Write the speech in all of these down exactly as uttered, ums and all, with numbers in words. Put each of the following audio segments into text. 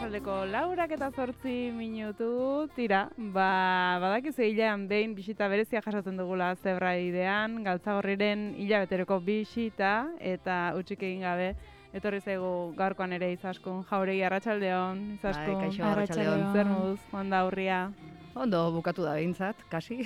arratsaldeko laurak eta zortzi minutu, tira, ba, badakizu hilean behin bisita berezia jasotzen dugula Zebraidean, Galtzagorriren hilabeteroko bisita, eta utzik egin gabe, etorri zaigu gaurkoan ere Izaskun Jauregi arratsaldeon, Izaskun, bai, kaixo, arratsaldeon. zer moduz, Juanda Urria. Ondo, bukatu da behintzat, kasi,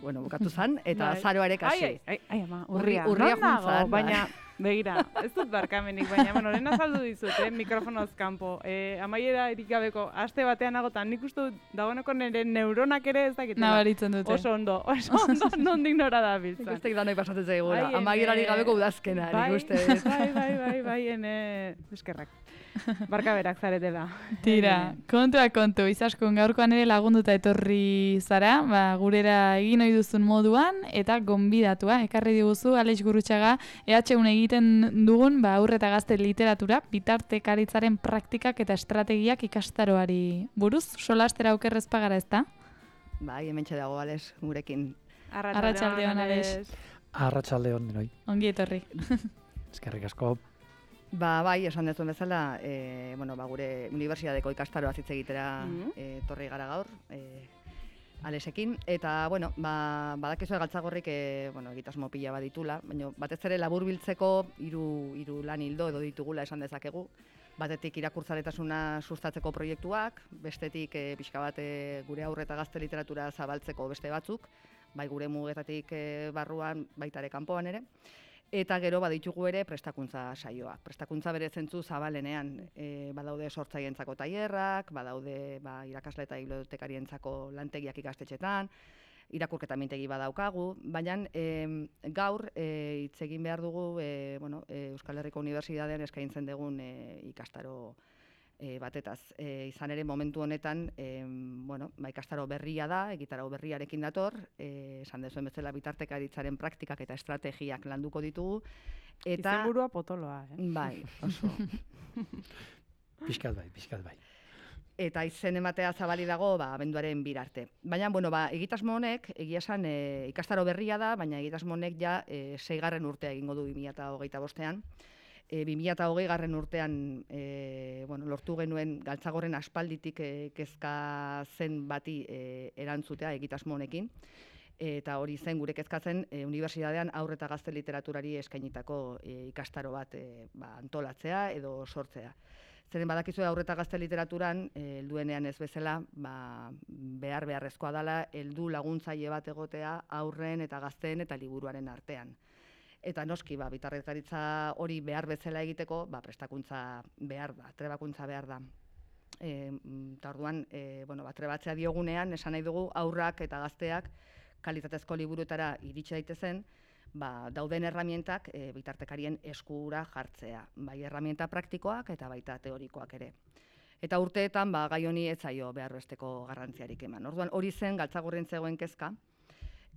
bueno, bukatu zan, eta Bai. azaroa ere kasi. Ai, ai, ai, ama, urria, Urri- urria non nago? juntzan, bai. Baina, begira, ez dut barkamenik, baina, bueno, lehen azaldu dizut, eh, mikrofonoz kanpo. Eh, amaiera erik gabeko aste batean nagotan, nik uste dut, dagoeneko nire neuronak ere ez dakitela. Nabaritzen dute. Oso ondo, oso ondo, nondik nora da biltzan. Ikustek danoi pasatzen zaigula, Ai, amaierari ene- gabeko udazkena, bai, nik uste. bai, bai, bai, bai, ene, eskerrak. Barkaberak zaretela. Tira, kontua kontu, Izaskun gaurkoan ere lagunduta etorri zara, ba, gurera egin ohi duzun moduan, eta gonbidatua, ekarri diguzu, Alex Gurrutxaga, E H un egiten dugun, ba, aurre eta gazte literatura, bitartekaritzaren praktikak eta estrategiak ikastaroari buruz, solastera okerrez pagara ez da? Bai, hementxe dago, Ales, gurekin. Arratsaldeon, Alex. Arratsaldeon denoi. Ongi etorri. Eskerrik asko. Ba, bai, esan dezuen bezala, e, bueno, ba, gure unibertsitateko ikastaroa hitz egitera Mhm. e, torri gara gaur, e, Alesekin, eta, bueno, ba, badakizu Galtzagorrik, e, bueno, egitasmo pila baditula, baina batez ere laburbiltzeko hiru hiru lan hildo edo ditugula esan dezakegu. Batetik irakurtzaletasuna sustatzeko proiektuak, bestetik e, pixka bat e, gure aurre eta gazte literatura zabaltzeko beste batzuk, bai gure mugetatik e, barruan, baita ere kanpoan ere. Eta gero baditugu ere prestakuntza saioak. Prestakuntza bere zentzu zabalenean, e, badaude sortzaientzako tailerrak, badaude ba, irakasle eta bibliotekarientzako lantegiak ikastetxetan, irakurketa mintegi badaukagu, baina e, gaur e, hitz egin behar dugu e, bueno, e, Euskal Herriko Unibertsitatean eskaintzen dugun e, ikastaro e, batetaz. E, izan ere momentu honetan, e, bueno, ba, ikastaro berria da, egitarau berriarekin dator, e, esan dezuen bezala bitartekaritzaren praktikak eta estrategiak landuko ditugu. Eta, Izenburua potoloa, eh? bai, oso. Pixkat bai, pixkat bai. Eta izen ematea zabali dago, ba, abenduaren bir arte. Baina, bueno, ba, egitasmo honek, egia esan, e, ikastaro berria da, baina egitasmo honek ja e, seigarren urtea egingo du bi mila hogeita bostean. E, bi mila hogei garren urtean e, bueno, lortu genuen Galtzagorren aspalditik e, kezka zen bati e, erantzutea egitasmo honekin. Eta hori zen gure kezkatzen e, unibertsitatean aurre eta gazte literaturari eskainitako e, ikastaro bat e, ba, antolatzea edo sortzea. Zeren badakizu aurre eta gazte literaturan, e, helduenean ez bezala, ba, behar beharrezkoa dela, heldu laguntzaile bat egotea aurren eta gazteen eta liburuaren artean. Eta noski, ba, bitartekaritza hori behar bezala egiteko, ba, prestakuntza behar da, trebakuntza behar da. E, eta orduan, e, bueno, ba, trebatzea diogunean, esan nahi dugu aurrak eta gazteak kalitatezko liburuetara iritsi daitezen, ba, dauden erramientak e, bitartekarien eskura jartzea, bai erramienta praktikoak eta baita teorikoak ere. Eta urteetan, ba, gai honi ez zaio behar besteko garrantziarik eman. Orduan, hori zen Galtzagorrin zegoen kezka.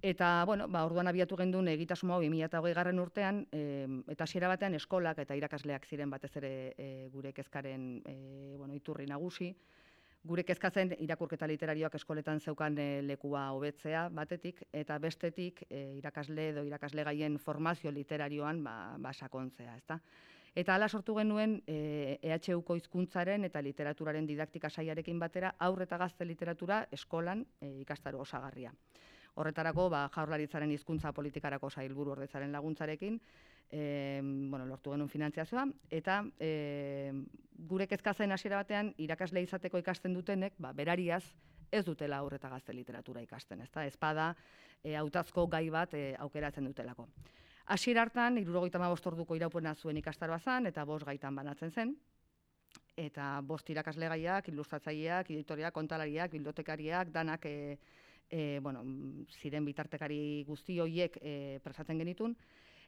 Eta, bueno, ba, orduan abiatu gendun egitasmo hau bi mila hogei garren urtean, e, eta hasiera batean eskolak eta irakasleak ziren batez ere e, gure kezkaren e, bueno, iturri nagusi. Gure kezkatzen irakurketa literarioak eskoletan zeukan e, lekua hobetzea batetik, eta bestetik e, irakasle edo irakasle gaien formazio literarioan ba, ba sakontzea, ezta? Eta hala sortu genuen e, E H Uko hizkuntzaren eta literaturaren didaktika saiarekin batera aurre eta gazte literatura eskolan e, ikastaro osagarria. Horretarako, ba, Jaurlaritzaren hizkuntza politikarako sailburu ordetzaren laguntzarekin, e, bueno, lortu genuen finantziazioa, eta e, gure kezkatzen hasiera batean irakasle izateko ikasten dutenek, ba, berariaz ez dutela aurre eta gazte literatura ikasten, ezta? Ezpada e, hautazko gai bat e, aukeratzen dutelako. Hasiera hartan, hirurogeita hamabost orduko iraupena zuen ikastaroa zen, eta bost gaitan banatzen zen, eta bost irakasle gaiak, ilustratzaileak, editoriak, kontalariak, bibliotekariak, danak e, E, bueno, ziren bitartekari guzti horiek e, prestatzen genitun.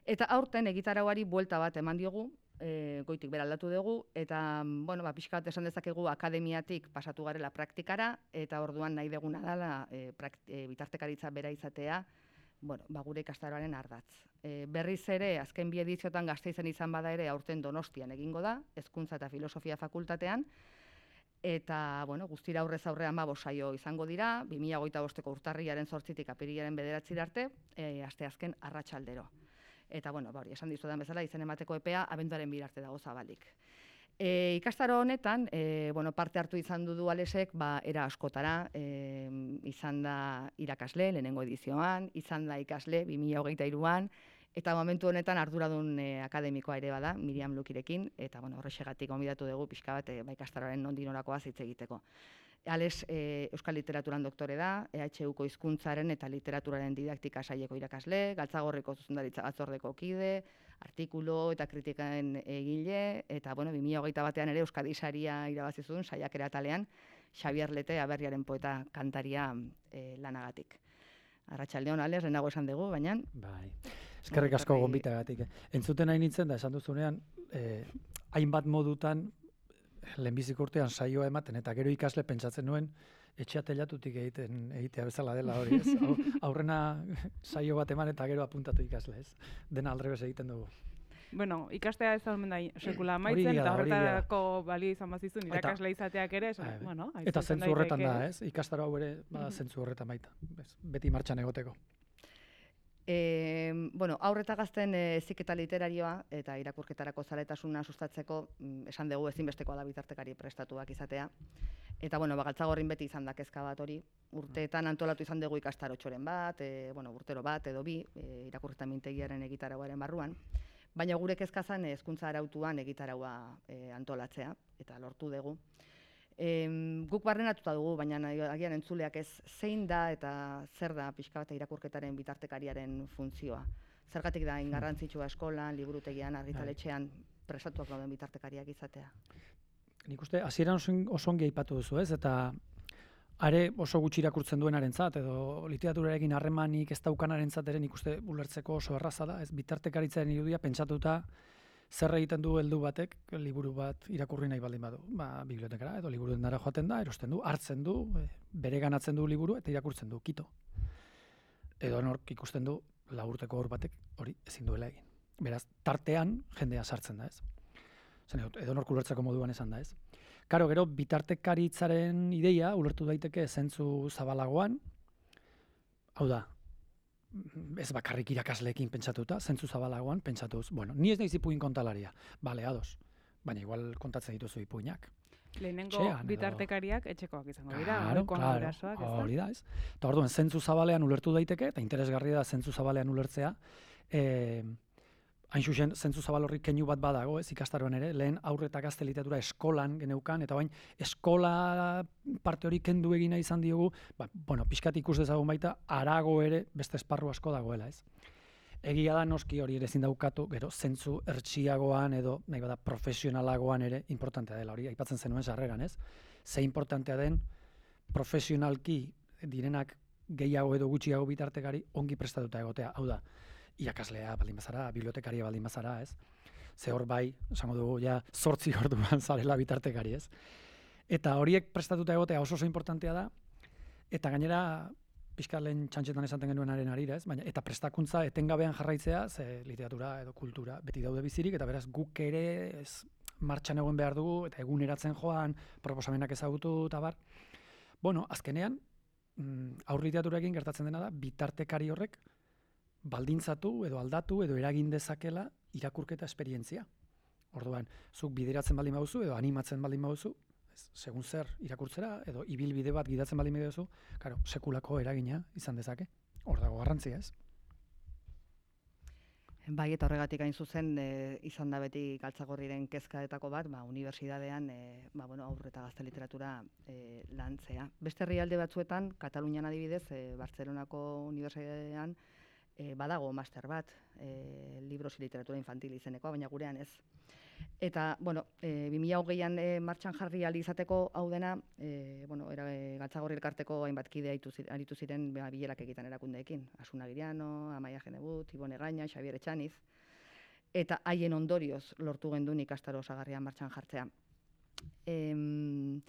Eta aurten egitarauari buelta bat eman diogu, e, goitik bera aldatu dugu, eta bueno, ba, pixka bat esan dezakegu akademiatik pasatu garela praktikara, eta orduan nahi deguna dela e, e, bitartekaritza bera izatea, bueno, ba, gure ikastaroaren ardatz. E, berriz ere, azken bi ediziotan Gasteizen izan bada ere aurten Donostian egingo da, Hezkuntza eta Filosofia Fakultatean, eta, bueno, guztira aurrez aurrean ba saio izango dira, bi mila hogeita bosteko urtarrilaren zortzitik apirilaren bederatzira arte, e, asteazken arratsaldero. Eta, bueno, ba hori, esan dizudan bezala, izen emateko epea abenduaren bir arte dago zabalik. E, ikastaro honetan, e, bueno, parte hartu izan du Alesek, ba, era askotara, e, izan da irakasle, lehenengo edizioan, izan da ikasle, bi mila hogeita hiruan, eta momentu honetan arduradun e, akademikoa ere bada, Miriam Lukirekin, eta bueno, horrexegatik gonbidatu dugu pixka bat, e, ba, ikastaroaren nondik norakoaz hitz egiteko. Ales e, Euskal Literaturan doktore da, E H Uko hizkuntzaren eta literaturaren didaktika saileko irakasle, Galtzagorriko zuzendaritza batzordeko kide, artikulu eta kritikaen egile, eta bueno, bi mila hogeita batean ere Euskadi saria irabazi zuen saiakera atalean, Xabier Lete aberriaren poeta kantaria e, lanagatik. Arratsaldeon, Ales, lehenago esan dugu, baina... Bai, eskerrik asko gonbitagatik. Entzuten nahi nintzen da, esan duzunean, eh, hainbat modutan, lehenbiziko urtean saioa ematen, eta gero ikasle pentsatzen nuen, etxea telatutik egiten egitea bezala dela hori, ez? Aurrena saio bat eman eta gero apuntatu ikasle, ez? Dena aldrebes egiten dugu. Bueno, ikastea ez da omen da sekula amaitzen, eta horretarako balio izan bazizun, irakasle izateak ere, esan, bueno, eta zentzu horretan da, ez? Ikastaro hau ere, bada zentzu horretan baita, beti martxan egoteko. E, bueno, aurreta gazten heziketa literarioa eta irakurketarako zaletasuna sustatzeko esan dugu ezinbestekoa da bitartekari prestatuak izatea. Eta bueno, ba, Galtzagorrin beti izan da kezka bat hori. Urteetan antolatu izan dugu ikastarotxoren bat, e, bueno, urtero bat edo bi, e, irakurketa mintegiaren egitarauaren barruan. Baina gure kezka zen hezkuntza arautuan egitaraua e, antolatzea, eta lortu dugu. E, guk barrenatuta dugu, baina agian entzuleak ez zein da eta zer da pixka bat irakurketaren bitartekariaren funtzioa. Zergatik da ingarrantzitsua eskolan, liburutegian, argitaletxean prestatuak dauden bitartekariak izatea. Nik uste, hasieran oso ongi aipatu duzu, ez? Eta are oso gutxi irakurtzen duenarentzat edo literaturarekin harremanik ez daukanarentzat ere nik uste ulertzeko oso erraza da, ez? Bitartekaritzaren irudia pentsatuta zer egiten du heldu batek, liburu bat irakurri nahi baldin badu. Ba, bibliotekara edo liburu dendara joaten da, erosten du, hartzen du, bere ganatzen du liburu eta irakurtzen du, kito. Edo nork ikusten du laburteko hor batek hori ezin duela egin. Beraz, tartean jendea sartzen da, ez? Zen, edo nork ulertzeko moduan esan da, ez? Karo, gero, bitartekaritzaren ideia ulertu daiteke zentzu zabalagoan, hau da, ez bakarrik irakasleekin pentsatuta, zentzu zabalagoan pentsatuz, bueno, ni ez naiz ipuin kontalaria, bale, ados, baina igual kontatzen dituzu ipuinak. Lehenengo Txean, bitartekariak etxekoak izango dira, claro, ohikoan claro, gurasoak, ez da? hori da, ez? Eta orduan, zentzu zabalean ulertu daiteke, eta interesgarria da zentzu zabalean ulertzea, eh, hain zuzen, zentzu zabal horrik keinu bat badago, ez ikastaroan ere, lehen aurre eta gazte literatura eskolan geneukan, eta bain eskola parte hori kendu egina izan diogu, ba, bueno, pixkat ikus dezagun baita, arago ere beste esparru asko dagoela, ez? Egia da noski hori ere ezin daukatu, gero zentzu ertsiagoan edo nahi bada profesionalagoan ere importantea dela, hori aipatzen zenuen sarreran, ez? Ze importantea den profesionalki direnak gehiago edo gutxiago bitartekari ongi prestatuta egotea, hau da, irakaslea baldin bazara, bibliotekaria baldin bazara, ez? Ze hor bai, esango dugu, ja, zortzi orduan zarela bitartekari, ez? Eta horiek prestatuta egotea oso oso importantea da, eta gainera, pixka lehen txantxetan esaten genuenaren arira, ez? Baina, eta prestakuntza etengabean jarraitzea, ze literatura edo kultura beti daude bizirik, eta beraz guk ere ez martxan egon behar dugu, eta eguneratzen joan, proposamenak ezagutu, eta bar. Bueno, azkenean, aur literaturarekin gertatzen dena da, bitartekari horrek, baldintzatu edo aldatu edo eragin dezakela irakurketa esperientzia. Orduan, zuk bideratzen baldin baduzu edo animatzen baldin baduzu, ez, segun zer irakurtzera edo ibilbide bat gidatzen baldin baduzu, claro, sekulako eragina izan dezake. Hor dago garrantzia, ez? Bai, eta horregatik hain zuzen e, izan da beti Galtzagorriren kezkaetako bat, ba, unibertsitatean e, ba, bueno, aurre eta gazte literatura e, lantzea. Beste herrialde batzuetan, Katalunian adibidez, e, Bartzelonako unibertsitatean, E, badago master bat, e, libros y literatura infantil izenekoa, baina gurean ez. Eta, bueno, e, bi mila hogeian e, martxan jarri ahal izateko hau dena, e, bueno, era, e, Galtzagorri elkarteko hainbat kide aritu ziren ba, bilerak egiten erakundeekin. Asuna Giriano, Amaia Genebut, Ibone Gaina, Xabier Etxaniz, eta haien ondorioz lortu gendun ikastaro osagarrian martxan jartzea. Em,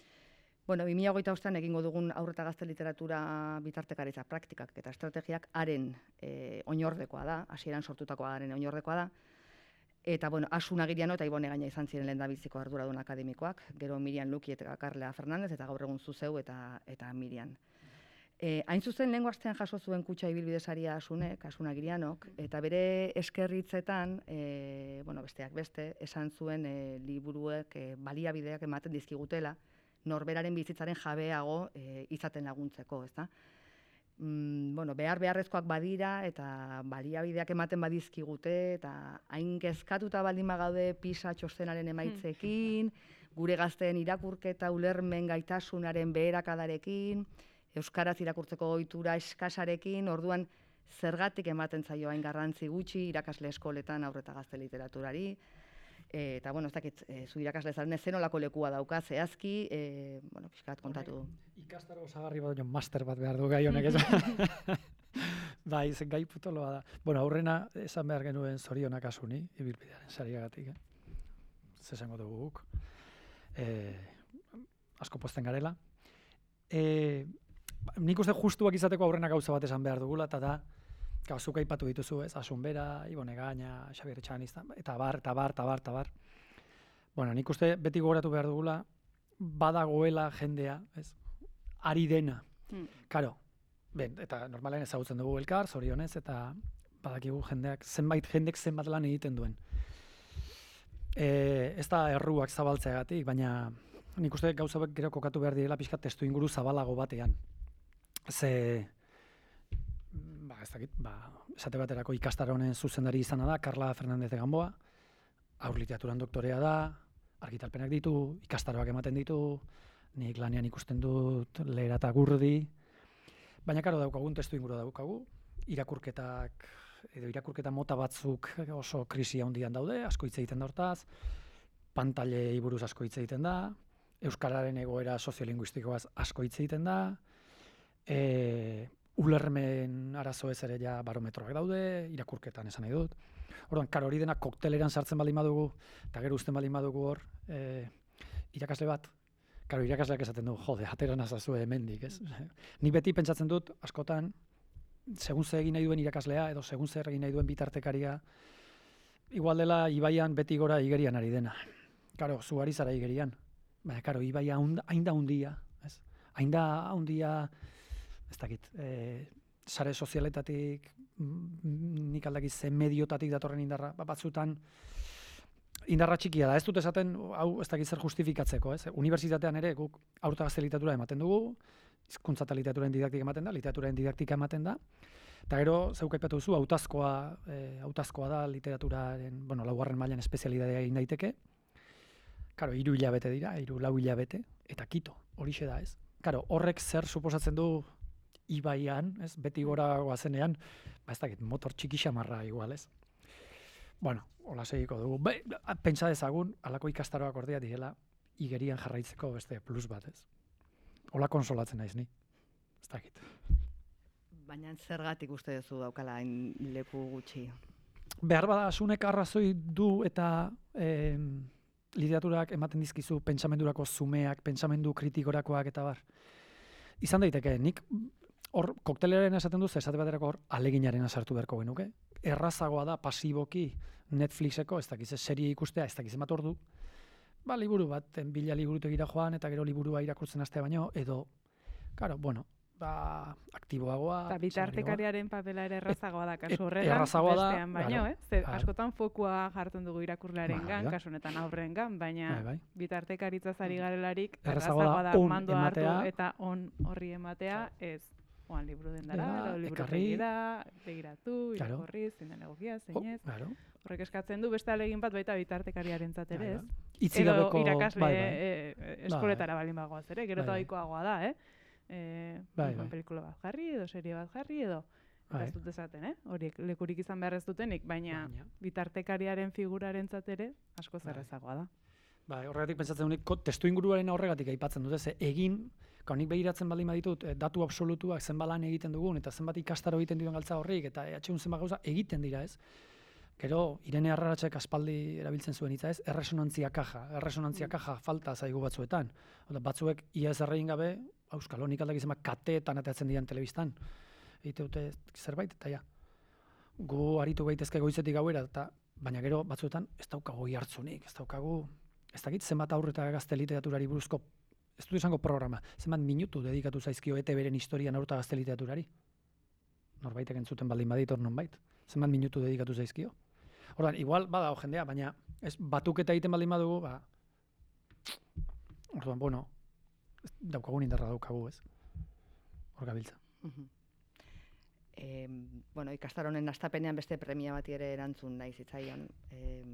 Bueno, bi mila hogeita bostean egingo dugun aurre eta gazte literatura bitartekaritza praktikak eta estrategiak haren e, oinordekoa da, hasieran sortutakoa haren oinordekoa da. Eta, bueno, Asuna Giriano eta Ibone Gaina izan ziren lehendabiziko arduradun akademikoak, gero Miriam Luki eta Carla Fernandez, eta gaur egun zu zeu eta, eta Miriam. E, hain zuzen lehengo astean jaso zuen kutxa ibilbidesaria Asunek, Asun Agirianok, eta bere eskerritzetan, e, bueno, besteak beste, esan zuen e, liburuek e, baliabideak ematen dizkigutela, norberaren bizitzaren jabeago e, izaten laguntzeko, ezta? Mm, bueno, behar beharrezkoak badira eta baliabideak ematen badizkigute eta hain kezkatuta baldin bagaude PISA txostenaren emaitzekin, gure gazteen irakurketa ulermen gaitasunaren beherakadarekin, euskaraz irakurtzeko ohitura eskasarekin, orduan zergatik ematen zaio hain garrantzi gutxi irakasle eskoletan haur eta gazte literaturari. E, eta, bueno, ez dakit, e, zu irakasle zaren zenolako lekua dauka, zehazki, e, bueno, pixkat kontatu. Ikastaro osagarri bat, master bat behar du gai honek, ez? Bai, zen gai putoloa da. Bueno, aurrena esan behar genuen zorionak Asuni, ibilbidearen sariagatik, eh? Zesango dugu guk. E, asko posten garela. E, nik uste justuak izateko aurrena gauza bat esan behar dugula, eta da, zuk aipatu dituzu, ez? Asun Bera, Ibone Gaina, Xabier Etxanista, eta bar, eta bar, eta bar, eta bar. Bueno, nik uste beti gogoratu behar dugula, badagoela jendea, ez? Ari dena. Hmm. Karo, ben, eta normalen ezagutzen dugu elkar, zorionez, eta badakigu jendeak, zenbait jendek zenbat lan egiten duen. E, ez da erruak zabaltzeagatik, baina nik uste gauza bek gero kokatu behar direla pixka testu inguru zabalago batean. Ze... Ba, ez dakit, ba, esate baterako ikastaro honen zuzendari izana da, Carla Fernández de Gamboa, haur literaturan doktorea da, argitalpenak ditu, ikastaroak ematen ditu, nik lanean ikusten dut lehera eta gurdi, baina karo daukagun, testu inguru daukagu, irakurketak, edo irakurketa mota batzuk oso krisi handian daude, asko hitz egiten da hortaz, pantailei buruz asko hitz egiten da, euskararen egoera soziolinguistikoaz asko hitz egiten da, e, ulermen arazo ez ere ja barometroak daude, irakurketan esan nahi dut. Orduan, karo hori dena kokteleran sartzen baldin badugu, eta gero uzten baldin badugu hor, e, irakasle bat, karo irakasleak esaten du, jode, atera nazazue hemendik, ez? Ni beti pentsatzen dut, askotan, segun ze egin nahi duen irakaslea, edo segun zer egin nahi duen bitartekaria, igual dela Ibaian beti gora igerian ari dena. Karo, zu ari zara igerian, baina, karo, Ibaia hain da hundia, ez? Hain da hundia, ez dakit, e, sare sozialetatik, nik aldakiz ze mediotatik datorren indarra, batzutan indarra txikia da, ez dut esaten, hau ez dakit zer justifikatzeko, ez? Unibertsitatean ere guk haur eta gazte literatura ematen dugu, hizkuntza eta literaturen didaktika ematen da, literaturen didaktika ematen da, eta gero, zeuk aipatu duzu, hautazkoa, e, hautazkoa da literaturaren, bueno, laugarren mailan espezialitatea egin daiteke, karo, hiru hilabete dira, hiru lau hilabete, eta kito, horixe da, ez? Karo, horrek zer suposatzen du Ibaian, ez, beti gora goazenean, ba ez dakit, motor txiki xamarra igual, ez. Bueno, hola segiko dugu. Be, pentsa dezagun, halako ikastaroak ordea direla, igerian jarraitzeko beste plus bat, ez. Hola konsolatzen naiz ni, ez dakit. Baina zergatik uste duzu daukala hain leku gutxi? Behar bada, Asunek arrazoi du eta eh, literaturak ematen dizkizu pentsamendurako zumeak, pentsamendu kritikorakoak eta bar. Izan daiteke, nik hor kokteleren esaten duz, esate baterako hor aleginaren sartu beharko genuke. Errazagoa da pasiboki Netflixeko, ez dakiz serie ikustea, ez dakiz emat ordu, ba, liburu bat, bila liburutegira joan, eta gero liburua irakurtzen hastea baino, edo, karo, bueno, ba, aktiboagoa. Eta bitartekariaren papela ere errazagoa da, kasu E- horretan, errazagoa da, bestean baino, claro, eh? Ze claro. askotan fokua jartzen dugu irakurlearen Bai, gan, bai. kasu honetan aurren gan, baina Bai, bai. bitartekaritza zari garelarik, Errazagoa errazagoa da da on mandoa hartu ematea. eta on horri ematea, ez oan liburu dendara, Dela, edo liburu ekarri. da, begiratu, Claro. irakorri, zein den egokia, Oh, zein ez. claro. Horrek eskatzen du beste alegin bat baita bitartekariarentzat ere, Bai, ez? bai. Hitzik Edo gabeko, irakasle bai, bai. e, e, eskoletara baldin bagoaz ere, gero Bai, eta bai. ohikoagoa da, eh? E, Bai, igual bai. pelikula bat jarri, edo serie bat jarri, edo eta Bai. ez dut esaten, eh? Horiek lekurik izan behar ez dutenik, baina Baina. bitartekariaren figurarentzat ere asko Bai. zerrezagoa da. Bai, horregatik pentsatzen dut, ko- testu inguruaren horregatik aipatzen dut, ez, egin, gau nik begiratzen baldin baditut, eh, datu absolutuak zenbat lan egiten dugun, eta zenbat ikastaro egiten duen galtza horrik, eta E H un zenbat gauza egiten dira, ez? Gero, Irene Arraratxek aspaldi erabiltzen zuen hitza, ez? Erresonantzia kaja, erresonantzia kaja falta zaigu batzuetan. Oda, batzuek ia ez erregin gabe, auskalo, nik aldak izan kateetan atatzen dian telebistan. Egite dute zerbait, eta ja. Gu aritu gaitezke goizetik gauera, eta baina gero batzuetan ez daukagu hartzunik, ez daukagu, ez dakit zenbat aurre eta gazte literaturari buruzko ez dut esango programa, zenbat minutu dedikatu zaizkio E T Beren historian haur eta gazte literaturari? Norbaitek entzuten baldin badit hor nonbait. Zenbat minutu dedikatu zaizkio? Orduan, igual badago jendea, baina ez batuketa egiten baldin badugu, ba orduan, bueno, daukagun indarra daukagu, ez? Hor gabiltza. Mhm. Eh, bueno, ikastaronen astapenean beste premia bati ere erantzun nahi zitzaion. Eh,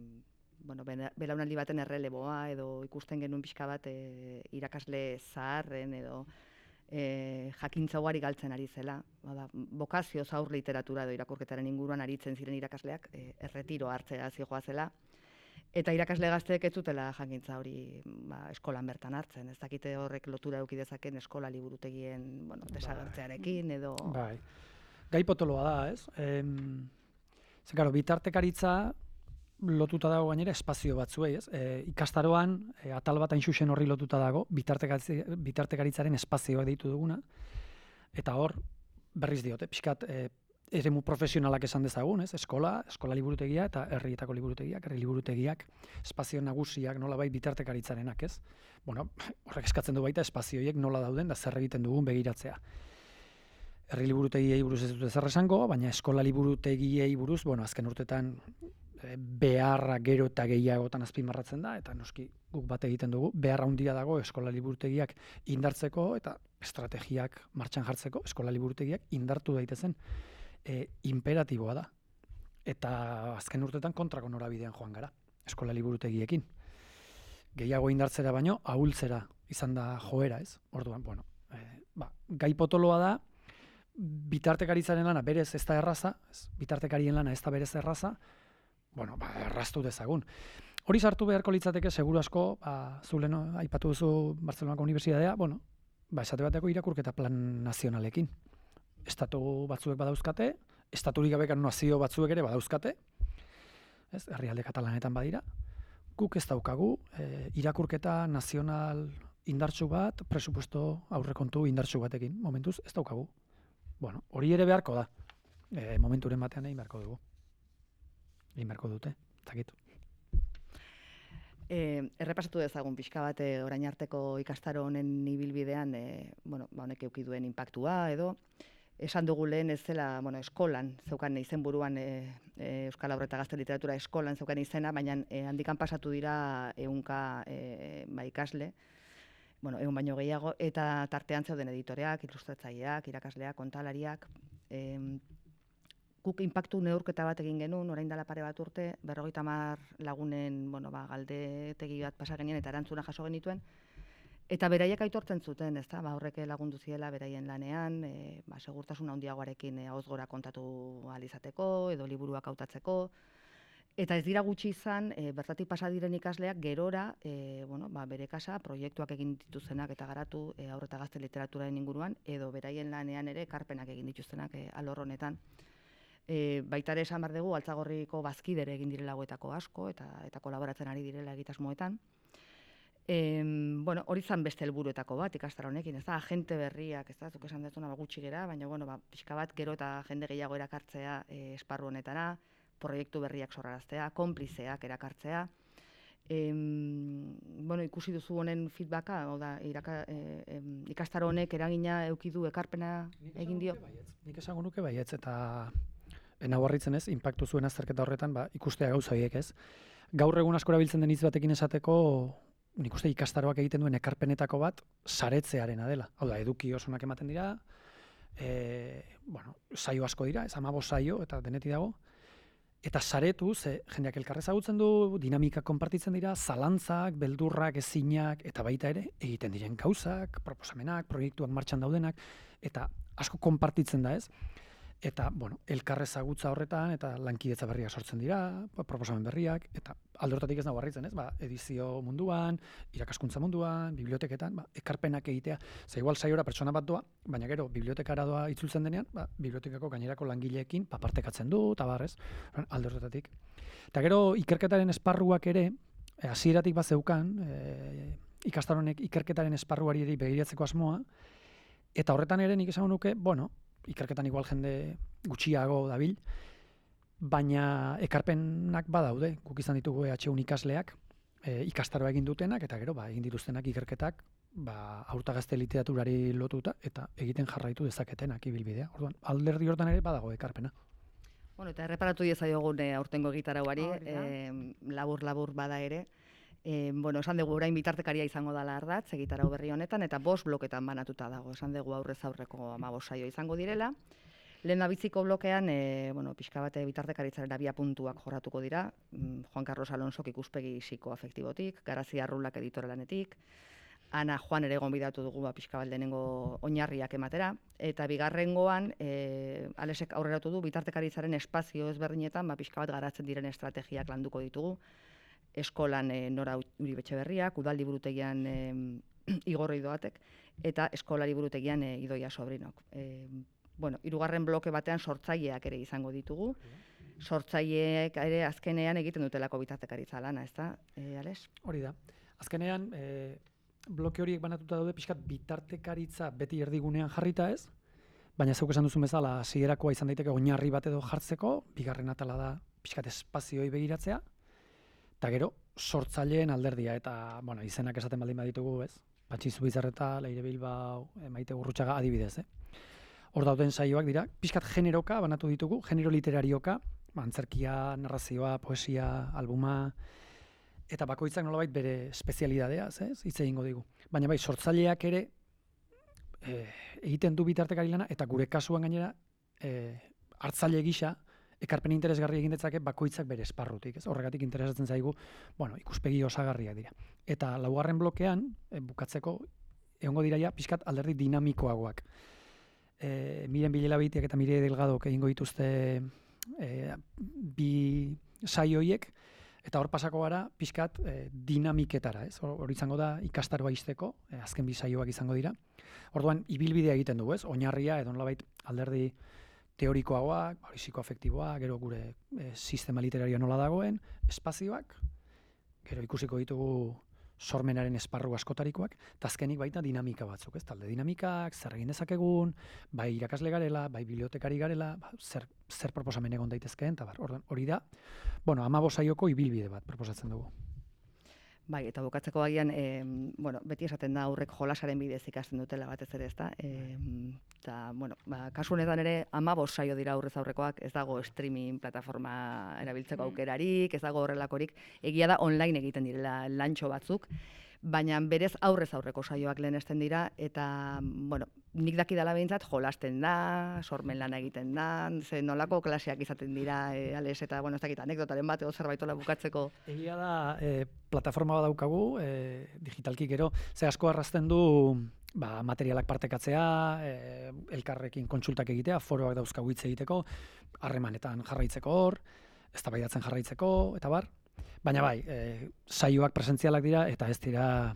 bueno, bela- belaunaldi baten erreleboa edo ikusten genuen pixka bat eh, irakasle zaharren edo eh, jakintza ugari galtzen ari zela. Bada, bokazio zaur literatura edo irakurketaren inguruan aritzen ziren irakasleak eh, erretiro hartzea zijoazela. Eta irakasle gazteek ez zutela jakintza hori ba, eskolan bertan hartzen. Ez dakite horrek lotura eduki dezaken eskola liburutegien bueno, desagertzearekin edo... Bai. Gai potoloa da, ez? Em, ze, karo, bitartekaritza lotuta dago gainera espazio batzuei, ez? E, ikastaroan, e, atal bat hain xuxen horri lotuta dago, bitartekaritza, bitartekaritzaren espazioa deitu duguna, eta hor, berriz diote, pixkat, e, eremu profesionalak esan dezagun, ez? Eskola, eskola liburutegia eta herrietako liburutegiak, herri liburutegiak, espazio nagusiak nolabait bitartekaritzarenak, ez? Bueno, horrek eskatzen du baita espazioiek nola dauden da zer egiten dugun begiratzea. Herri liburutegiei buruz ez dute zer esango, baina eskola liburutegiei buruz, bueno, azken urtetan e, beharra gero eta gehiagotan azpimarratzen da, eta noski guk bat egiten dugu, beharra handia dago eskola liburutegiak indartzeko eta estrategiak martxan jartzeko, eskola liburutegiak indartu daitezen. E, imperatiboa da. Eta azken urtetan kontrako norabidean joan gara, eskola liburutegiekin. Gehiago indartzera baino, ahultzera izan da joera, ez? Orduan, bueno, e, ba, gai potoloa da, bitartekaritzaren lana berez ez da erraza, ez, bitartekarien lana ez da berez erraza, bueno, ba, erraztu dezagun. Hori sartu beharko litzateke, seguru asko, ba, zulen aipatu duzu Bartzelonako Unibertsitatea, bueno, ba, esate bateko irakurketa plan nazionalekin. Estatu batzuek badauzkate, estaturik gabeko nazio batzuek ere badauzkate, ez, herrialde katalanetan badira, guk ez daukagu, e, irakurketa nazional indartsu bat, presupuesto aurrekontu indartsu batekin, momentuz ez daukagu. Bueno, hori ere beharko da. E, momenturen batean egin beharko dugu. Egin beharko dute, zakit. E, errepasatu dezagun pixka bat e, orain arteko ikastaro honen ibilbidean, e, bueno, ba, honek eduki duen inpaktua edo, esan dugu lehen ez zela, bueno, eskolan zeukan izenburuan e, e, Euskal Haur eta Gazte Literatura eskolan zeukan izena, baina e, handikan pasatu dira ehunka e, ba, ikasle, bueno, egun baino gehiago, eta tartean zeuden editoreak, ilustratzaileak, irakasleak, kontalariak. E, guk inpaktu neurketa bat egin genuen, orain dela pare bat urte, berrogeita hamar lagunen bueno, ba, galdetegi bat pasa genien eta erantzuna jaso genituen, eta beraiek aitortzen zuten, ezta, ba, horrek lagundu ziela beraien lanean, e, ba, segurtasun handiagoarekin e, ahoz gora kontatu ahal izateko, edo liburuak hautatzeko. Eta ez dira gutxi izan, e, bertatik pasa diren ikasleak gerora, e, bueno, ba, bere kasa, proiektuak egin dituztenak eta garatu e, haur eta gazte literaturaren inguruan, edo beraien lanean ere ekarpenak egin dituztenak e, alor honetan. E, baita ere esan behar dugu, Altzagorriko bazkidere egin direla hauetako asko, eta eta kolaboratzen ari direla egitasmoetan. E, bueno, hori zan beste helburuetako bat ikastaro honekin, ez da, agente berriak, ez da, zuk esan dezuna ba, gutxi gera, baina bueno, ba, pixka bat gero eta jende gehiago erakartzea e, esparru honetara, proiektu berriak sorraraztea, konplizeak erakartzea. Em, bueno, ikusi duzu honen feedbacka, oda, iraka, e, ikastaro honek eragina eduki du ekarpena egin dio? Nik esango nuke baietz, eta nau harritzen ez, inpaktu zuen azterketa horretan, ba, ikustea gauza horiek ez. Gaur egun asko erabiltzen den hitz batekin esateko, nik uste ikastaroak egiten duen ekarpenetako bat saretzearena dela. Hau da, eduki osonak ematen dira, e, bueno, saio asko dira, ez hamabost saio, eta denetik dago, eta saretu, ze jendeak elkarrez ezagutzen du, dinamika konpartitzen dira, zalantzak, beldurrak, ezinak, eta baita ere, egiten diren gauzak, proposamenak, proiektuak martxan daudenak, eta asko konpartitzen da ez. Eta, bueno, elkarrez ezagutza horretan, eta lankidetza berriak sortzen dira, proposamen berriak, eta alde horretatik ez nago harritzen ez, ba, edizio munduan, irakaskuntza munduan, biblioteketan, ba, ekarpenak egitea. Ze igual saiora pertsona bat doa, baina gero, bibliotekara doa itzultzen denean, ba, bibliotekako gainerako langileekin papartekatzen du, eta barrez, alde horretatik. Eta gero, ikerketaren esparruak ere, hasieratik bat zeukan, e, ikastaronek ikerketaren esparruari begiratzeko asmoa, eta horretan ere nik esango nuke, bueno, ikerketan igual jende gutxiago dabil, baina ekarpenak badaude, guk izan ditugu E H U ikasleak, e, ikastaroa egin dutenak, eta gero, ba, egin dituztenak ikerketak, ba, aurta gazte literaturari lotuta, eta egiten jarraitu dezaketenak ibilbidea. Orduan, alderdi hortan ere badago ekarpena. Bueno, eta erreparatu diezaiogun e, aurtengo egitarauari, Hori da. e, labur-labur bada ere. E, bueno, esan dugu orain bitartekaria izango dela ardatz, egitarau berri honetan, eta bost bloketan banatuta dago. Esan dugu aurrez aurreko hamabost saio izango direla. Lehen biziko blokean, e, bueno, pixka bate bitartekaritzaren abia puntuak jorratuko dira. Mm, Juan Carlos Alonsok ikuspegi psikoafektibotik, Garazi Arrulak editoralanetik, Ana Juan ere gonbidatu dugu ba, pixka bat lehenengo oinarriak ematera, eta bigarrengoan e, Alesek aurreratu du bitartekaritzaren espazio ezberdinetan ba, pixka bat garatzen diren estrategiak landuko ditugu. Eskolan e, Nora Uribe Etxeberriak, Udal liburutegian e, Igor Idoatek, eta Eskola liburutegian e, Idoia Sobrinok. E, bueno, hirugarren bloke batean sortzaileak ere izango ditugu. Sortzaileek ere azkenean egiten dutelako bitartekaritza lana, ezta, e, Ales? Hori da. Azkenean, e, bloke horiek banatuta daude pixkat bitartekaritza beti erdigunean jarrita ez, baina zeuk esan duzun bezala hasierakoa izan daiteke oinarri bat edo jartzeko, bigarren atala da pixkat espazioi begiratzea, eta gero sortzaileen alderdia, eta bueno, izenak esaten baldin baditugu ez, Patxi Zubizarreta, Leire Bilbao, Maite Gurrutxaga adibidez, eh? Hor dauden saioak dira, pixkat generoka banatu ditugu, genero literarioka, antzerkia, narrazioa, poesia, albuma, eta bakoitzak nolabait bere espezialidadea, ez? Hitz egingo digu. Baina bai, sortzaileak ere e, egiten du bitartekari lana, eta gure kasuan gainera e, hartzaile gisa ekarpen interesgarri egin detzake bakoitzak bere esparrutik, ez? Horregatik interesatzen zaigu, bueno, ikuspegi osagarriak dira. Eta laugarren blokean, e, bukatzeko, egongo diraia pixkat alderdi dinamikoagoak. E, Miren Bilelabitiak eta Mire Delgadok egingo dituzte e, bi saioiek, eta hor pasako gara pixkat e, dinamiketara, ez? Hor izango da ikastaroa izteko, e, azken bi saioak izango dira. Orduan, ibilbidea egiten dugu, ez? Oinarria, edo nolabait alderdi teorikoagoak, psikoafektiboa, gero gure e, sistema literario nola dagoen, espazioak, gero ikusiko ditugu sormenaren esparru askotarikoak, eta azkenik baita dinamika batzuk, ez? Talde dinamikak, zer egin dezakegun, bai irakasle garela, bai bibliotekari garela, ba, zer, zer proposamen egon daitezkeen, eta bar, hori da, bueno, hamabost saioko ibilbide bat proposatzen dugu. Bai, eta bukatzeko agian, e, bueno, beti esaten da aurrek jolasaren bidez ikasten dutela batez ere, ezta? Eta, e, bueno, ba, kasu honetan ere hamabost saio dira aurrez aurrekoak, ez dago streaming plataforma erabiltzeko aukerarik, ez dago horrelakorik, egia da online egiten direla lantxo batzuk, baina berez aurrez aurreko saioak lehenesten dira, eta, bueno, nik dakidala behintzat jolasten da, sormen lana egiten da, ze nolako klaseak izaten dira, e, Ales, eta, bueno, ez dakit, anekdotaren bat edo zerbaitola bukatzeko. Egia da, e, plataforma bat daukagu, e, digitalki gero, ze asko arrazten du ba, materialak partekatzea, e, elkarrekin kontsultak egitea, foroak dauzkagu hitz egiteko, harremanetan jarraitzeko hor, eztabaidatzen jarraitzeko, eta bar. Baina bai, e, saioak presentzialak dira, eta ez dira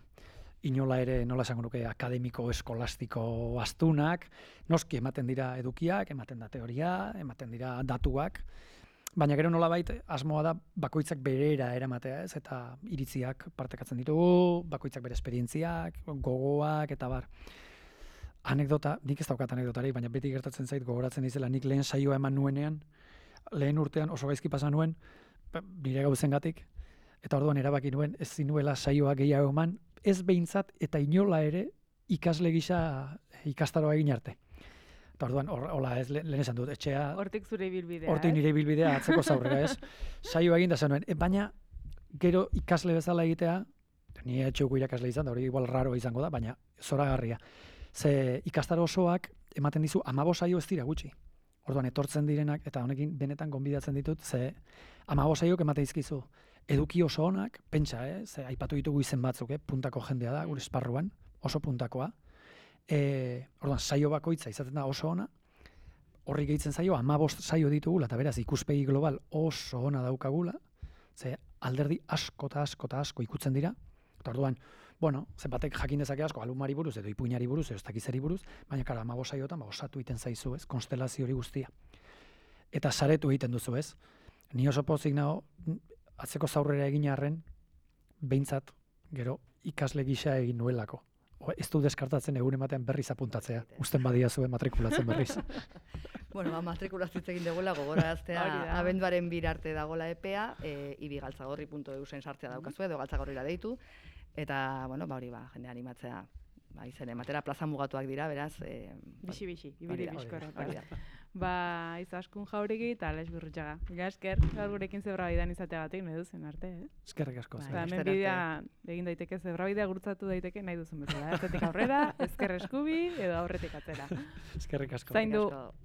inola ere, nola esango nuke, akademiko, eskolastiko astunak, noski ematen dira edukiak, ematen da teoria, ematen dira datuak, baina gero nolabait asmoa da bakoitzak berera eramatea, ez? Eta iritziak partekatzen ditugu, bakoitzak bere esperientziak, gogoak, eta bar. Anekdota, nik ez daukat anekdotarik, baina beti gertatzen zait gogoratzen izela, nik lehen saioa eman nuenean, lehen urtean oso gaizki pasa nuen, nire gauzengatik, eta orduan erabaki nuen ez zinuela saioa gehiago eman, ez behintzat eta inola ere ikasle gisa ikastaroa egin arte. Eta orduan, hola ez lehen esan dut, etxea... Hortik zure ibilbidea, Hortik nire ibilbidea atzeko zaurrera, ez? Saioa egin da zenuen, e, baina gero ikasle bezala egitea, nire etxeuko irakasle izan, da hori igual raro izango da, baina zoragarria. Ze ikastaro osoak ematen dizu hamabost saio ez dira gutxi. Orduan etortzen direnak, eta honekin benetan gonbidatzen ditut, ze hamabost saiok ematen dizkizu eduki oso onak, pentsa, eh? Ze aipatu ditugu izen batzuk, eh? Puntako jendea da, gure esparruan, oso puntakoa. E, orduan, saio bakoitza izaten da oso ona, horri gehitzen zaio, hamabost saio ditugula, eta beraz ikuspegi global oso ona daukagula, ze alderdi asko eta asko eta asko ikutzen dira, eta orduan, bueno, ze batek jakin dezake asko, alumari buruz, edo ipuinari buruz, edo ez dakizeri buruz, baina kara, hamabost saiotan, ba, osatu egiten zaizu, ez, konstelazio hori guztia. Eta saretu egiten duzu, ez. Ni oso pozik nago, atzeko zaurrera egin arren, behintzat, gero, ikasle gisa egin nuelako. O, ez du deskartatzen egun ematen berriz apuntatzea. Usten badia zuen matrikulatzen berriz. Bueno, ba, matrikulazio hitz egin dugula, gogoraztea Hori da. abenduaren bir arte dagola epea, e, ibigaltzagorri puntu eusen sartzea daukazu edo galtzagorrira deitu, eta, bueno, ba, hori ba, jende animatzea, ba, izen ematera plaza mugatuak dira, beraz, e, Bixi-bixi, hori ibili da, bizkor. hori da. Ba, izaskun jauregi eta Alex Gurrutxaga. Mila esker, gaur gurekin zebrabidean izateagatik nahi duzen arte, eh? Eskerrik asko. Ba, zer. hemen Laster bidea egin daiteke, zebrabidea gurutzatu daiteke nahi duzun bezala. Ertetik aurrera, ezker eskubi edo aurretik atzera. Eskerrik asko. Zaindu. Asko.